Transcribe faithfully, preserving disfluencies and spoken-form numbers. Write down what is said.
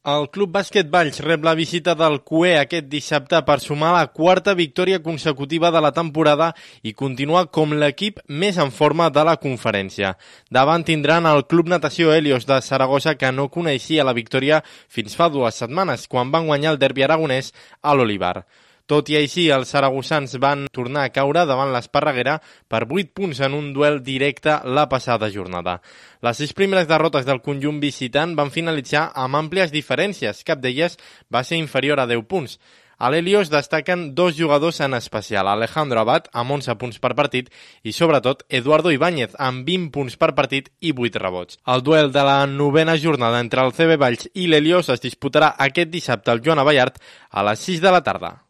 El Club Bàsquet Valls rep la visita del Q E aquest dissabte per sumar la quarta victòria consecutiva de la temporada i continuar com l'equip més en forma de la conferència. Davant tindran el Club Natació Helios de Saragossa, que no coneixia la victòria fins fa dues setmanes, quan van guanyar el derbi aragonès a l'Olivar. Tot i així, els saragossans van tornar a caure davant l'Esparreguera per vuit punts en un duel directe la passada jornada. Les sis primeres derrotes del conjunt visitant van finalitzar amb àmplies diferències, cap d'elles va ser inferior a deu punts. A l'Helios destaquen dos jugadors en especial, Alejandro Abad amb onze punts per partit i sobretot Eduardo Ibáñez amb vint punts per partit i vuit rebots. El duel de la novena jornada entre el C B Valls i l'Helios es disputarà aquest dissabte al Joan Abellart a les sis de la tarda.